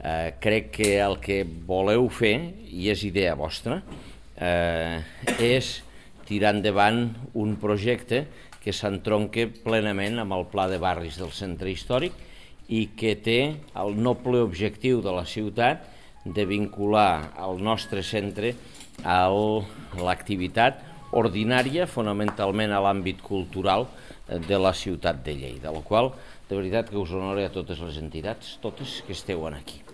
Crec que el que voleu fer, i és idea vostra, és tirar endavant un projecte que s'entronca plenament amb el pla de barris del centre històric i que té el noble objectiu de la ciutat de vincular el nostre centre a l'activitat ordinària, fonamentalment a l'àmbit cultural de la ciutat de Lleida, la qual de veritat que us honore a totes les entitats, totes que esteu aquí.